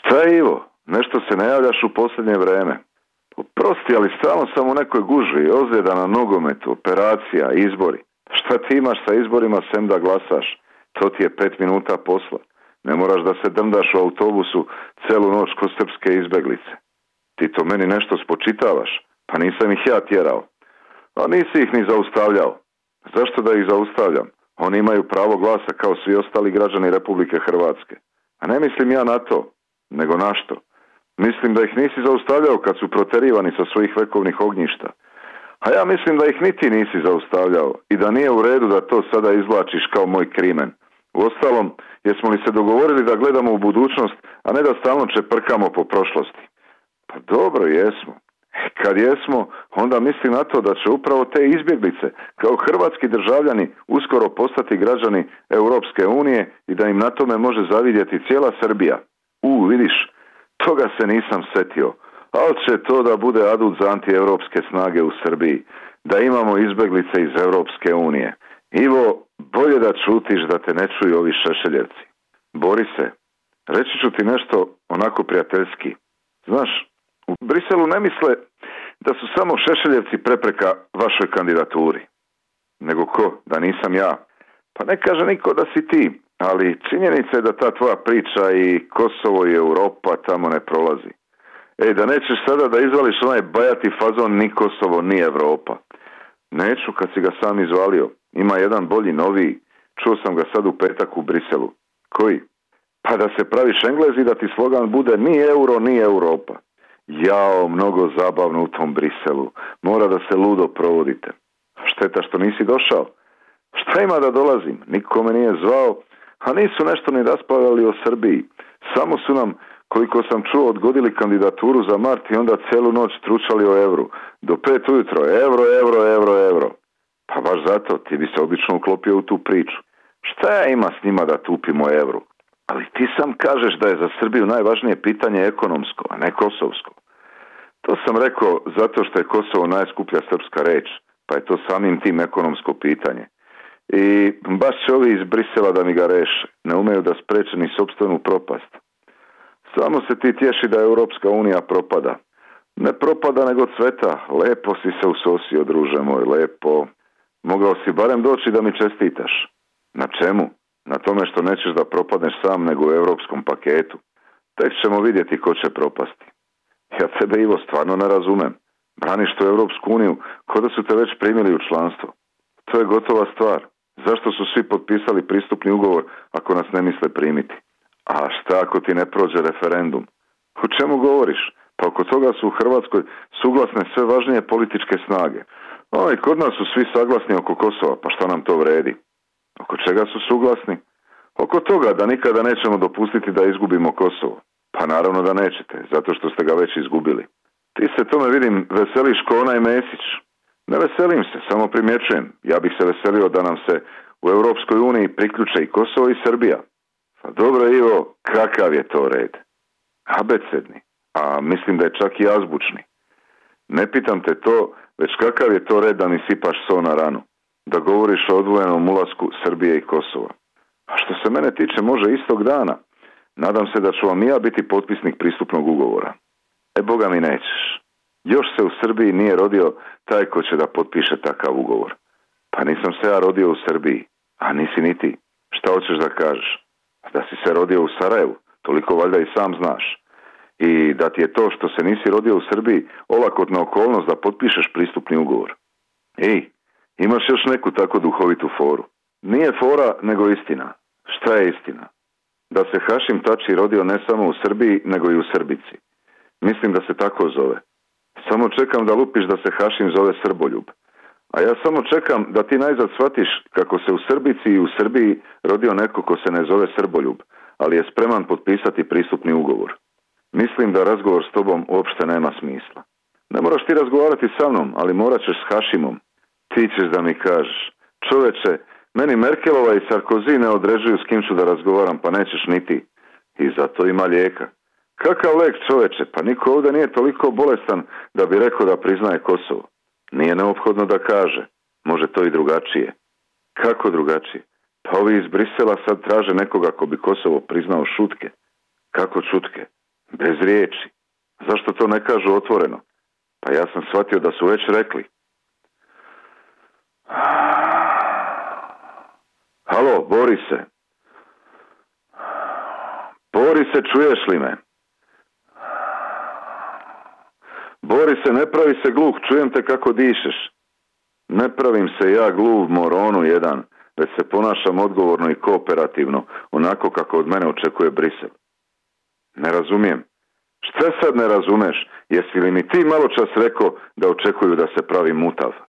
Šta je, Ivo? Nešto se ne javljaš u posljednje vreme. Oprosti, ali stalno sam u nekoj gužvi, ozljeda na nogometu, operacija, izbori. Šta ti imaš sa izborima sem da glasaš? To ti je 5 minuta posla. Ne moraš da se drndaš u autobusu celu noć ko srpske izbeglice. Ti to meni nešto spočitavaš, pa nisam ih ja tjerao. A nisi ih ni zaustavljao. Zašto da ih zaustavljam? Oni imaju pravo glasa kao svi ostali građani Republike Hrvatske. A ne mislim ja na to, nego na što? Mislim da ih nisi zaustavljao kad su proterivani sa svojih vekovnih ognjišta. A ja mislim da ih niti nisi zaustavljao i da nije u redu da to sada izvlačiš kao moj krimen. Uostalom, jesmo li se dogovorili da gledamo u budućnost, a ne da stalno čeprkamo po prošlosti? Pa dobro, jesmo. Kad jesmo, onda mislim na to da će upravo te izbjeglice kao hrvatski državljani uskoro postati građani Europske unije i da im na tome može zavidjeti cijela Srbija. Vidiš, toga se nisam setio, ali će to da bude adut za antievropske snage u Srbiji, da imamo izbjeglice iz Europske unije. Ivo, bolje da čutiš da te ne čuju ovi šešeljevci. Borise, reći ću ti nešto onako prijateljski. Znaš, u Briselu ne misle da su samo šešeljevci prepreka vašoj kandidaturi. Nego ko? Da nisam ja. Pa ne kaže niko da si ti, ali činjenica je da ta tvoja priča i Kosovo i Europa tamo ne prolazi. Da nećeš sada da izvališ onaj bajati fazon ni Kosovo, ni Europa. Neću kad si ga sam izvalio. Ima jedan bolji, noviji. Čuo sam ga sad u petak u Briselu. Koji? Pa da se praviš Englez i da ti slogan bude ni euro, ni Europa. Jao, mnogo zabavno u tom Briselu. Mora da se ludo provodite. Šteta što nisi došao. Šta ima da dolazim? Niko me nije zvao, a nisu nešto ni raspravljali o Srbiji. Samo su nam, koliko sam čuo, odgodili kandidaturu za mart i onda celu noć tručali o evru. Do 5 ujutro, euro. Pa baš zato ti bi se obično uklopio u tu priču. Šta ja ima s njima da tupimo evru? Ali ti sam kažeš da je za Srbiju najvažnije pitanje ekonomsko, a ne kosovsko. To sam rekao zato što je Kosovo najskuplja srpska reč, pa je to samim tim ekonomsko pitanje. I baš će ovi iz Brisela da mi ga reše, ne umeju da spreče ni sopstvenu propast. Samo se ti tješi da Europska unija propada. Ne propada nego cveta, lepo si se usosio, druže moj, lepo. Mogao si barem doći da mi čestitaš. Na čemu? Na tome što nećeš da propadneš sam nego u europskom paketu. Tek ćemo vidjeti ko će propasti. Ja tebe, Ivo, stvarno ne razumem. Braniš tu Europsku uniju ko da su te već primili u članstvo. To je gotova stvar. Zašto su svi potpisali pristupni ugovor ako nas ne misle primiti? A šta ako ti ne prođe referendum? O čemu govoriš? Pa oko toga su u Hrvatskoj suglasne sve važnije političke snage. I kod nas su svi saglasni oko Kosova, pa šta nam to vredi? Oko čega su suglasni? Oko toga da nikada nećemo dopustiti da izgubimo Kosovo. Pa naravno da nećete, zato što ste ga već izgubili. Ti se tome, vidim, veseliš ko onaj Mesić. Ne veselim se, samo primjećujem. Ja bih se veselio da nam se u Europskoj uniji priključe i Kosovo i Srbija. Pa dobro, Ivo, kakav je to red? Abecedni, a mislim da je čak i azbučni. Ne pitam te to, već kakav je to red da mi sipaš so na ranu, da govoriš o odvojenom ulasku Srbije i Kosova. A što se mene tiče, može istog dana. Nadam se da ću vam i ja biti potpisnik pristupnog ugovora. Boga mi nećeš. Još se u Srbiji nije rodio taj ko će da potpiše takav ugovor. Pa nisam se ja rodio u Srbiji, a nisi ni ti. Šta hoćeš da kažeš? Da si se rodio u Sarajevu, toliko valjda i sam znaš. I da ti je to što se nisi rodio u Srbiji olakotna okolnost da potpišeš pristupni ugovor. Imaš još neku tako duhovitu foru. Nije fora, nego istina. Šta je istina? Da se Hašim Tači rodio ne samo u Srbiji, nego i u Srbici. Mislim da se tako zove. Samo čekam da lupiš da se Hašim zove Srboljub. A ja samo čekam da ti najzad shvatiš kako se u Srbici i u Srbiji rodio neko ko se ne zove Srboljub, ali je spreman potpisati pristupni ugovor. Mislim da razgovor s tobom uopšte nema smisla. Ne moraš ti razgovarati sa mnom, ali morat ćeš s Hašimom. Ti ćeš da mi kažeš, čoveče, meni Merkelova i Sarkozy ne određuju s kim ću da razgovaram, pa nećeš ni ti. I zato ima lijeka. Kakav lek, čoveče, pa niko ovdje nije toliko bolestan da bi rekao da priznaje Kosovo. Nije neophodno da kaže, može to i drugačije. Kako drugačije? Pa ovi iz Brisela sad traže nekoga ko bi Kosovo priznao šutke. Kako šutke? bez riječi. Zašto to ne kažu otvoreno? Pa ja sam shvatio da su već rekli. Halo, Borise. Borise, čuješ li me? Borise, ne pravi se gluh, čujem te kako dišeš. Ne pravim se ja gluv moronu jedan, već se ponašam odgovorno i kooperativno, onako kako od mene očekuje Brisel. Ne razumijem. Šta sad ne razumeš? Jesi li mi ti malo čas rekao da očekuju da se pravi mutav?